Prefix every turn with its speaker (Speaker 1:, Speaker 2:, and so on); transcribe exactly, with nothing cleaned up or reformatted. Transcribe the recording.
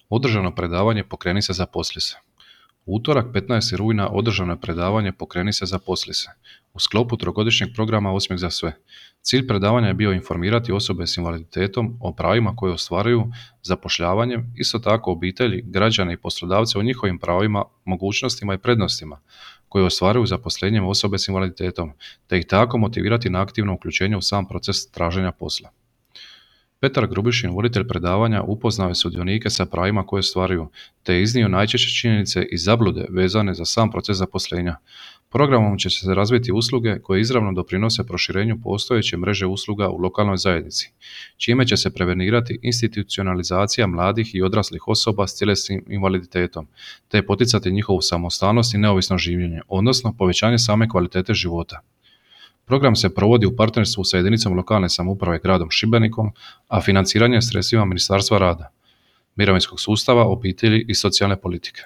Speaker 1: Održano predavanje Pokreni se zaposli se. U utorak petnaestog rujna održano je predavanje Pokreni se zaposli se u sklopu trogodišnjeg programa Osmijeh za sve. Cilj predavanja je bio informirati osobe s invaliditetom o pravima koje ostvaruju zapošljavanjem, isto tako obitelji, građane i poslodavce o njihovim pravima, mogućnostima i prednostima koje ostvaruju zaposlenjem osobe s invaliditetom, te ih tako motivirati na aktivno uključenje u sam proces traženja posla. Petar Grubišin, voditelj predavanja, upoznao je sudionike sa pravima koje ostvaruju, te je iznio najčešće činjenice i zablude vezane za sam proces zaposlenja. Programom će se razviti usluge koje izravno doprinose proširenju postojeće mreže usluga u lokalnoj zajednici, čime će se prevenirati institucionalizacija mladih i odraslih osoba s tjelesnim invaliditetom, te poticati njihovu samostalnost i neovisno življenje, odnosno povećanje same kvalitete života. Program se provodi u partnerstvu sa jedinicom lokalne samouprave gradom Šibenikom, a financiranje sredstvima Ministarstva rada, mirovinskog sustava, obitelji i socijalne politike.